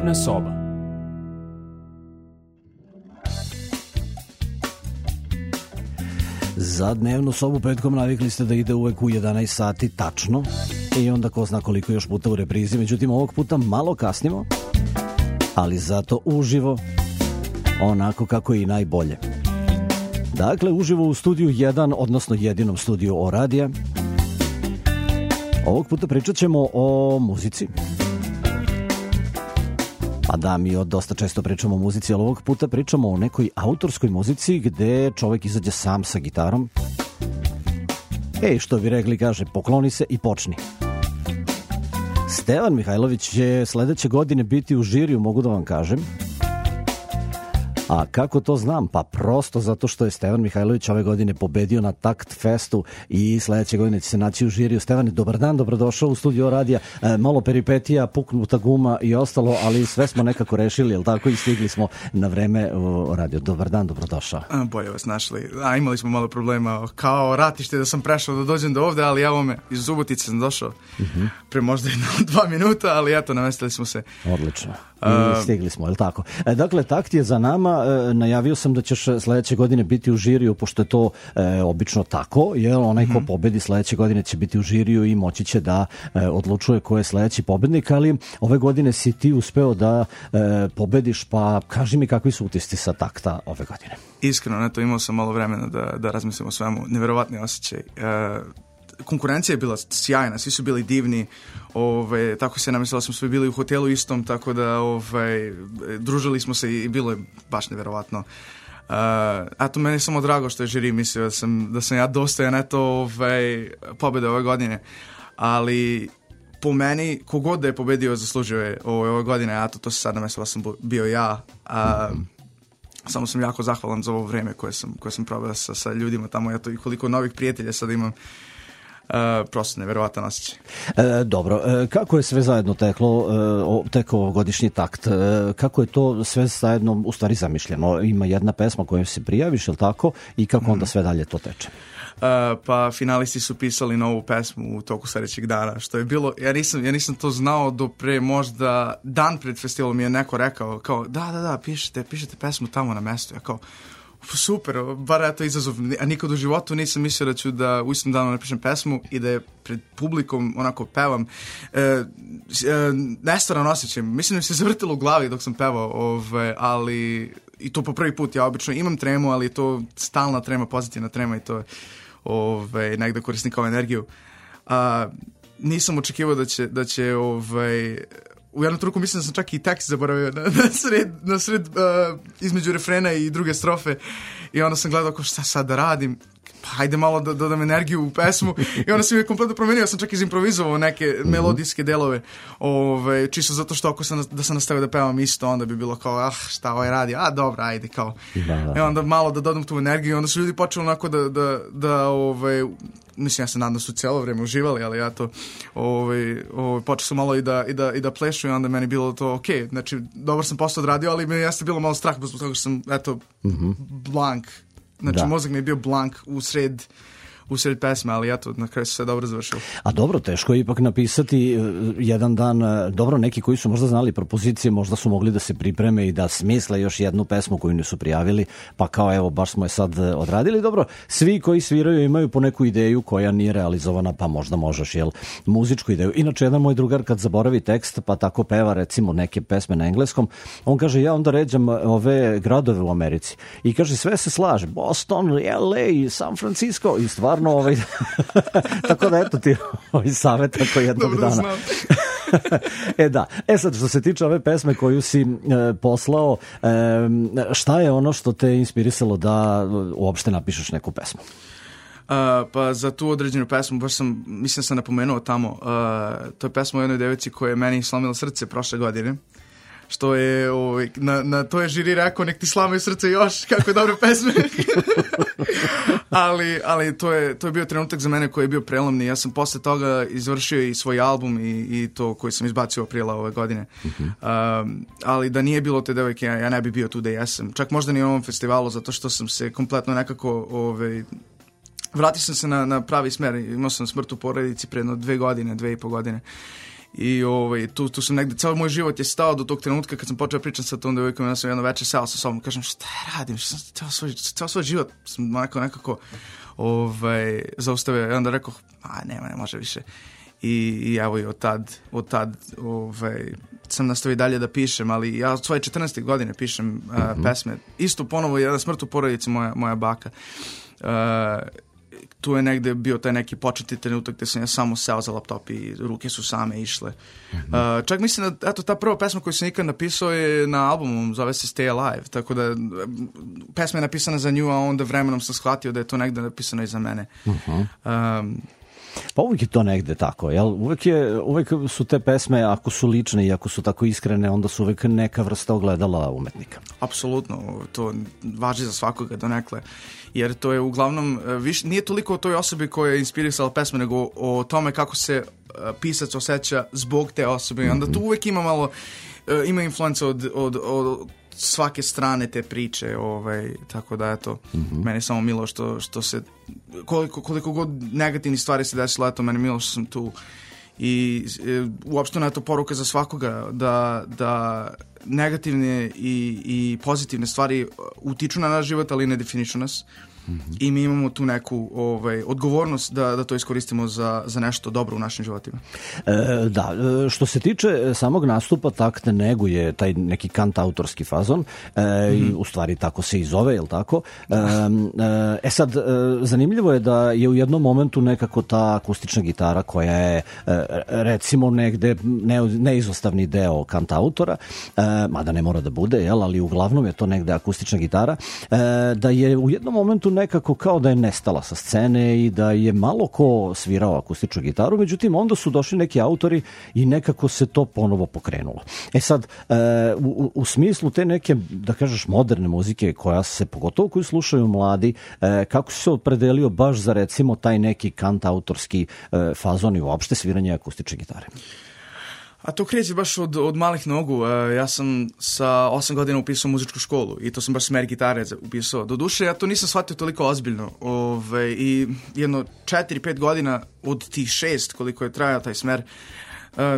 Dnevna soba. Za dnevnu sobu petkom navikli ste da ide uvek u 11 sati tačno i onda ko zna koliko još puta u reprizi. Međutim, ovog puta malo kasnimo, ali zato uživo, onako kako je i najbolje. Dakle, uživo u studiju 1, odnosno jedinom studiju O radija. Ovog puta pričat ćemo o muzici. Pa da, mi dosta često pričamo o muzici, ali ovog puta pričamo o nekoj autorskoj muzici gde čovek izađe sam sa gitarom. Što bi rekli, kaže, pokloni se i počni. Stevan Mihajlović će sledeće godine biti u žiriju, mogu da vam kažem. A kako to znam? Pa prosto zato što je Stevan Mihajlović ove godine pobedio na Takt Festu i sledeće godine će se naći u žiriju. Stevane, dobar dan, dobrodošao u studio radija. Malo peripetija, puknuta guma i ostalo, ali sve smo nekako rešili, jel tako? I stigli smo na vreme u radio. Dobar dan, dobrodošao. Bolje vas našli. Imali smo malo problema kao ratište da sam prešao da dođem do ovde, ali evo me, iz Subotice sam došao pre možda 2 minuta, ali eto, namestili smo se. Odlično. I stigli smo, jel tako? Dakle, Takt je za nama. Najavio sam da ćeš sledeće godine biti u žiriju, pošto je to obično tako, jer onaj ko pobedi sledeće godine će biti u žiriju i moći će da odlučuje ko je sledeći pobednik, ali ove godine si ti uspeo da pobediš, pa kaži mi kakvi su utisci sa Takta ove godine. Iskreno, imao sam malo vremena da razmislim o svemu. Neverovatni osjećaj. Konkurencija je bila sjajna, svi su bili divni, tako se namislila, smo svi bili u hotelu istom, tako da družili smo se i bilo je baš neverovatno. Eto, meni je samo drago što je žiri mislio da sam ja dostojan pobede ove godine, ali po meni, kogod da je pobedio zaslužio je ove godine, eto, to se sad namislila sam bio ja. Samo sam jako zahvalan za ovo vreme koje sam probao sa ljudima tamo, eto, i koliko novih prijatelja sad imam. Prosto neverovatan osjećaj. Dobro, kako je sve zajedno tekao godišnji Takt? Kako je to sve zajedno u stvari zamišljeno? Ima jedna pesma kojom se prijaviš, je li tako? I kako onda sve dalje to teče? Pa finalisti su pisali novu pesmu u toku sledećeg dana, što je bilo, ja nisam to znao do pre možda dan pred festivalom mi je neko rekao kao da, pišete pesmu tamo na mestu. Ja kao, super, bar je to izazov, a nikad u životu nisam mislio da ću da u istom danu napišem pesmu i da je pred publikom onako pevam. Nestvaran osjećaj, mislim da se zavrtilo u glavi dok sam pevao, ali i to po prvi put, ja obično imam tremu, ali je to stalna trema, pozitivna trema i to negde koristim kao energiju. Nisam očekivao da će u jednom trenutku mislim da sam čak i tekst zaboravio na sred između refrena i druge strofe i onda sam gledao šta sad da radim, pa hajde malo da dodam energiju u pesmu i onda sam je kompletno promenio, sam čak izimprovizovao neke melodijske delove, čisto zato što ako sam nastavio da pevam isto, onda bi bilo kao, šta ovaj radi, dobro, ajde, kao. Da. I onda malo da dodam tu energiju i onda su ljudi počeli onako da mislim, ja se nadam da su cijelo vreme uživali, ali ja to počeo sam malo i da plešu i onda meni bilo to okej, znači dobro sam posao odradio, ali mi jeste bilo malo strah zbog toga što sam, blank, znači mozak mi je bio blank u sred pesme, ali eto, na kraju se sve dobro završilo. A dobro, teško je ipak napisati jedan dan, dobro, neki koji su možda znali propozicije, možda su mogli da se pripreme i da smisle još jednu pesmu koju nisu prijavili, pa kao evo, baš smo je sad odradili. Dobro, svi koji sviraju imaju po neku ideju koja nije realizovana, pa možda možeš, muzičku ideju. Inače, jedan moj drugar kad zaboravi tekst, pa tako peva recimo neke pesme na engleskom, on kaže, ja onda ređam ove gradove u Americi i kaže, sve se slaže, Boston, LA, San Francisco i stvarno tako da eto ti savjet ako jednog dana. Da. Sad što se tiče ove pesme koju si poslao, šta je ono što te inspirisalo da uopšte napišeš neku pesmu? Pa za tu određenu pesmu, mislim sam napomenuo tamo, to je pesma o jednoj devici koja je meni slomila srce prošle godine. Što je, na to je žiri rekao, nek ti slamaju srce još, kako je dobre pesme. ali to je bio trenutak za mene koji je bio prelomni. Ja sam posle toga izvršio i svoj album i to koji sam izbacio aprila ove godine. Ali da nije bilo te devojke, ja ne bi bio tu da jesam. Čak možda ni na ovom festivalu, zato što sam se kompletno nekako vratio sam se na pravi smer. Imao sam smrt u porodici pre 2 godine, 2,5 godine. I tu sam negde, ceo moj život je stao do tog trenutka kad sam počeo pričati sa tom devojkom, ja sam jedno večer seo sa sobom, kažem šta ja radim, ceo svoj život sam nekako zaustavio i onda rekao, ne može više. I evo i od tad sam nastavio dalje da pišem, ali ja od svoje 14. godine pišem pesme. Isto ponovo je smrt u porodici moja baka. Tu je negde bio taj neki početni trenutak gde sam ja samo seo za laptop i ruke su same išle. Čak mislim da ta prva pesma koju sam ikad napisao je na albumu, zove se Stay Alive, tako da pesma je napisana za nju, a onda vremenom sam shvatio da je to negde napisano i za mene. Pa uvijek je to negde tako, jel? Uvijek su te pesme, ako su lične i ako su tako iskrene, onda su uvijek neka vrsta ogledala umetnika. Apsolutno, to važi za svakoga donekle, jer to je uglavnom, nije toliko o toj osobi koja je inspirisala pesme, nego o tome kako se pisac osjeća zbog te osobe. I onda tu uvijek ima malo, ima influenca od svake strane te priče, tako da eto, meni je samo milo što se, koliko god negativnih stvari se desilo, eto, meni je milo što sam tu i uopšteno je to poruka za svakoga da negativne i pozitivne stvari utiču na naš život, ali ne definišu nas. I mi imamo tu neku odgovornost da to iskoristimo za nešto dobro u našim životima. Da, što se tiče samog nastupa, Takt neguje taj neki kantautorski fazon, i u stvari tako se i zove, je li tako? Sad, zanimljivo je da je u jednom momentu nekako ta akustična gitara koja je recimo negde neizostavni deo kantautora, mada ne mora da bude, jel, ali uglavnom je to negde akustična gitara, da je u jednom momentu nekako kao da je nestala sa scene i da je malo ko svirao akustičnu gitaru, međutim onda su došli neki autori i nekako se to ponovo pokrenulo. Sad, u smislu te neke, da kažeš, moderne muzike koja se, pogotovo koju slušaju mladi, kako se opredelio baš za recimo taj neki kantautorski fazon i uopšte sviranje akustične gitare? A to kreće baš od malih nogu. Ja sam sa 8 godina upisao muzičku školu i to sam baš smer gitare upisao. Doduše, ja to nisam shvatio toliko ozbiljno. I jedno 4-5 godina od tih 6 koliko je trajao taj smer,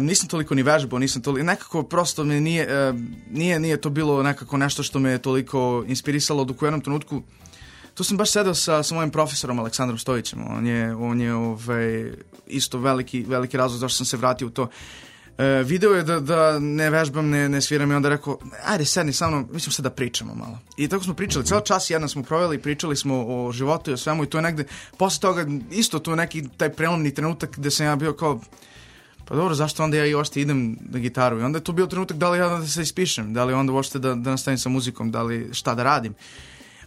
nisam toliko ni vežbao, nekako prosto me nije to bilo nekako nešto što me je toliko inspirisalo, dok u jednom trenutku tu sam baš sedao sa mojim profesorom Aleksandrom Stojićem. On je isto veliki razlog zašto sam se vratio u to. Video je da ne vežbam, ne sviram i onda rekao, ajde sedni sa mnom, mi ćemo sad da pričamo malo. I tako smo pričali, ceo čas jedan smo proveli, pričali smo o životu i o svemu i to je negde, posle toga isto tu neki taj prelomni trenutak gde sam ja bio kao, pa dobro, zašto onda ja i ošte idem na gitaru? I onda je to bio trenutak da li ja da se ispišem, da li onda uopšte da nastavim sa muzikom, da li šta da radim.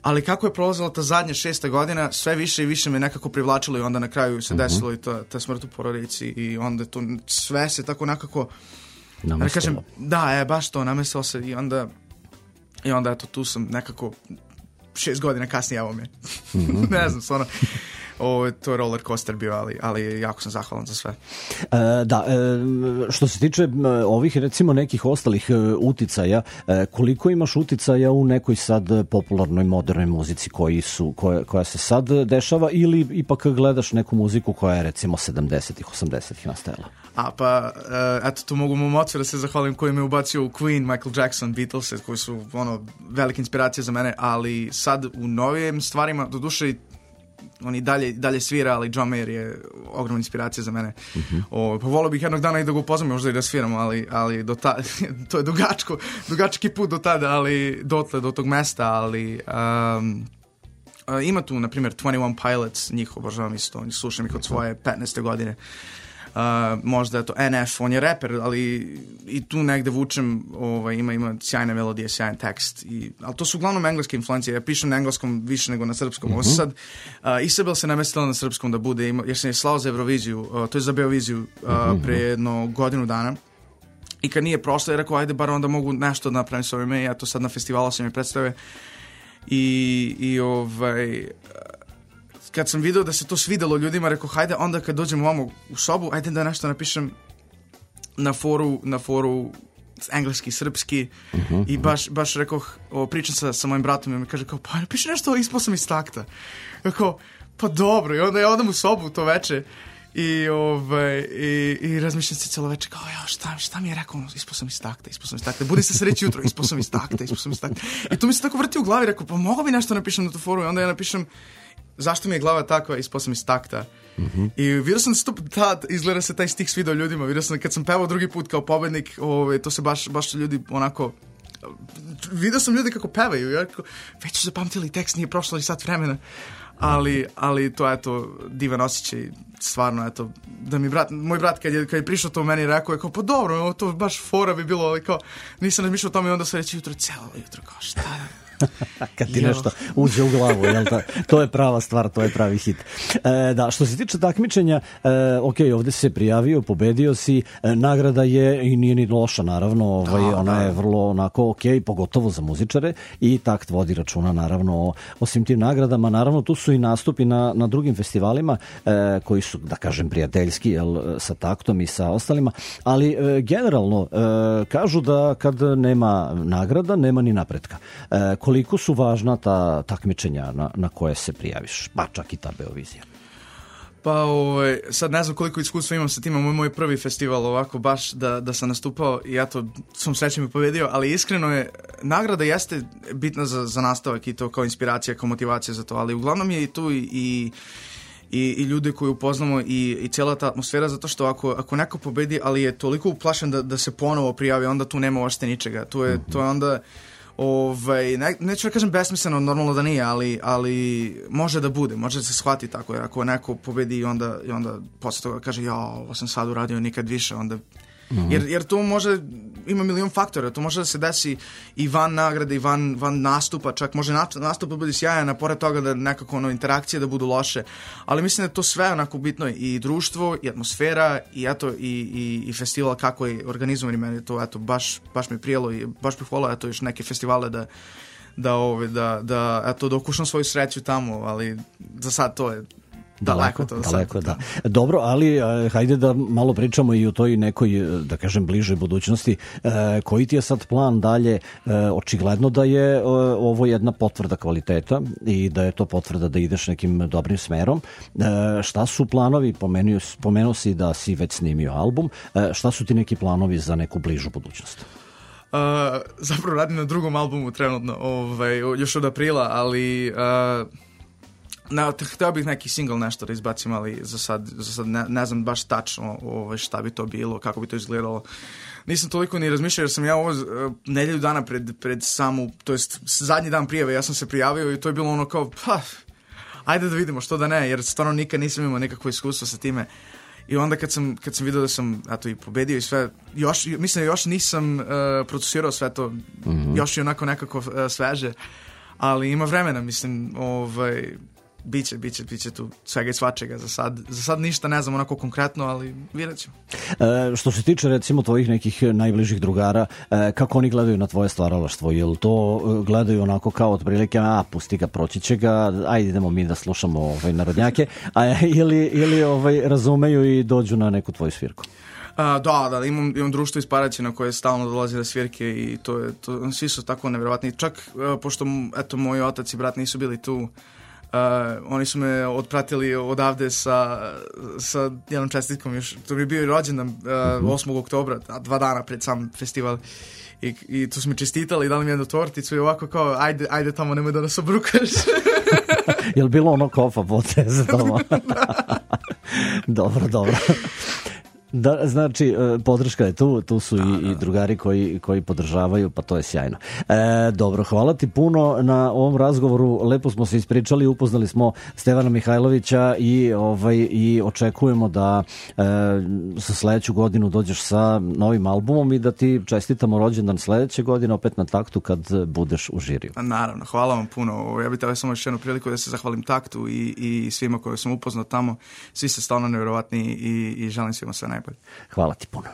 Ali kako je prolazila ta zadnja 6. godina, sve više i više me nekako privlačilo i onda na kraju se desilo i ta smrt u porodici i onda to sve se tako nekako namestilo. Baš to, namestilo se i onda eto, tu sam nekako 6 godina kasnije, evo me. Ne znam, stvarno. To je roller coaster bio, ali jako sam zahvalan za sve. Što se tiče ovih recimo nekih ostalih uticaja, koliko imaš uticaja u nekoj sad popularnoj modernoj muzici koja se sad dešava ili ipak gledaš neku muziku koja je recimo 70-ih, 80-ih nastajala? Eto, tu mogu mom ocu da se zahvalim koji me ubacio u Queen, Michael Jackson, Beatles, koji su velike inspiracije za mene, ali sad u novijim stvarima, doduše on i dalje svira, ali John Mayer je ogromna inspiracija za mene. Pa volio bih jednog dana i da ga upoznam, možda i da sviramo, ali do tada, to je dugački put do tada, ali do tog mesta, ali ima tu, na primjer, 21 Pilots, njih obožavam isto, slušam ih od svoje 15. godine. Možda je to NF, on je reper, ali i tu negde vučem, ima sjajne melodije, sjajan tekst, ali to su uglavnom engleske influencije, ja pišem na engleskom više nego na srpskom. Ovo sad Isabel se namestila na srpskom da bude, jer sam je slao za Euroviziju, to je za Beoviziju pre jedno godinu dana i kad nije prošlo je rekao, ajde bar onda mogu nešto da napravim s ovime, ja to sad na festivalu sam je predstavio kad sam video da se to svidelo ljudima, rekao, hajde, onda kad dođem ovamo u sobu, ajde da nešto napišem na foru engleski, srpski i baš rekao, pričam sa mojim bratom i mi kaže, kao, pa napiši nešto, ispao sam iz takta. Rekao, pa dobro, i onda ja odam u sobu to veče I razmišljam se celo večer kao, šta mi je rekao, ispao sam iz takta, budi se sreći jutro, ispao sam iz takta. I to mi se tako vrti u glavi, rekao, pa mogu bi nešto napišem na tu foru, i onda ja napišem zašto mi je glava takva, ispao sam iz takta. I vidio sam da izgleda se taj stih svidao ljudima, vidio sam kad sam pevao drugi put kao pobednik, to se baš ljudi onako, vidio sam ljudi kako pevaju, ja rekao, već su zapamtili tekst, nije prošlo i sat vremena. Ali to je divan osjećaj, stvarno, da mi moj brat kad je prišao to u meni rekao je kao, pa dobro, to baš fora bi bilo, ali kao, nisam razmišljao o tome i onda se reći celo jutro, kao šta kad ti nešto uđe u glavu, jel da? To je prava stvar, to je pravi hit. Da, što se tiče takmičenja, ok, ovdje si se prijavio, pobedio si, nagrada je i nije ni loša, naravno, ona je vrlo onako ok, pogotovo za muzičare, i Takt vodi računa, naravno, o svim tim nagradama. Naravno, tu su i nastupi na drugim festivalima koji su, da kažem, prijateljski, jel, sa Taktom i sa ostalima, ali generalno kažu da kad nema nagrada, nema ni napretka. Koliko su važna ta takmičenja na koje se prijaviš, pa čak i ta Beovizija? Pa sad ne znam koliko iskustva imam sa tim, moj prvi festival ovako baš da sam nastupao i ja to sam srećem i pobedio, ali iskreno je, nagrada jeste bitna za nastavak i to kao inspiracija, kao motivacija za to, ali uglavnom je i tu i ljude koje upoznamo i cijela ta atmosfera, zato što ako neko pobedi, ali je toliko uplašen da se ponovo prijavi, onda tu nema uopšte ničega, to je onda neću da kažem besmisleno, normalno da nije, ali može da bude, može da se shvati tako, jer ako neko pobedi i onda posle toga kaže, ovo sam sad uradio nikad više, onda jer to može, ima milion faktora, to može da se desi i van nagrade i van nastupa, čak može nastup da bude sjajan, a pored toga da nekako interakcije da budu loše, ali mislim da to sve onako bitno, i društvo, i atmosfera, i festival kako je organizovan, i meni to baš mi prijelo i baš bih volao još neke festivale da okušam svoju sreću tamo, ali za sad to je daleko, da. Dobro, ali hajde da malo pričamo i o toj nekoj, da kažem, bližoj budućnosti. Koji ti je sad plan dalje? Očigledno da je ovo jedna potvrda kvaliteta i da je to potvrda da ideš nekim dobrim smerom. Šta su planovi? Pomenuo si da si već snimio album. Šta su ti neki planovi za neku bližu budućnost? Zapravo radim na drugom albumu trenutno, još od aprila, ali htio bih neki single nešto da izbacim, ali za sad ne znam baš tačno šta bi to bilo, kako bi to izgledalo. Nisam toliko ni razmišljao, jer sam ja ovo nedelju dana pred samu, to jest zadnji dan prijave, ja sam se prijavio i to je bilo ono kao, ajde da vidimo, što da ne, jer stvarno nikad nisam imao nekakvo iskustvo sa time. I onda kad sam vidio da sam i pobedio i sve, mislim da još nisam procesirao sve to, još je onako nekako sveže, ali ima vremena, mislim, Biće tu svega i svačega. Za sad ništa ne znam onako konkretno, ali vidjet ćemo. Što se tiče recimo tvojih nekih najbližih drugara, kako oni gledaju na tvoje stvaralaštvo? Jel to gledaju onako kao otprilike, pusti ga, proći će ga, ajde idemo mi da slušamo narodnjake, ili razumeju i dođu na neku tvoju svirku? Da, imam društvo iz Paraćina koje stalno dolazi na svirke i to svi su tako nevjerovatni. Čak, pošto moj otac i brat nisu bili tu, oni su me otpratili odavde sa jednom čestitkom, još to bi bio i rođendan 8. oktobra, 2 dana pred sam festival, i tu su mi čestitali i dali mi jednu torticu i ovako kao, ajde tamo, nemoj da nas obrukaš. Jel bilo ono kofa poteze tamo? Dobro. Da, znači, podrška je tu su i drugari koji podržavaju, pa to je sjajno. Dobro, hvala ti puno na ovom razgovoru, lepo smo se ispričali, upoznali smo Stevana Mihajlovića i očekujemo da za sledeću godinu dođeš sa novim albumom i da ti čestitamo rođendan sledeće godine opet na Taktu kad budeš u žiriju. Naravno, hvala vam puno. Ja bih trebao samo još jednu priliku da se zahvalim Taktu i svima koje sam upoznao tamo. Svi ste stvarno nevjerovatni i želim svima sve najbolje. Hvala ti puno.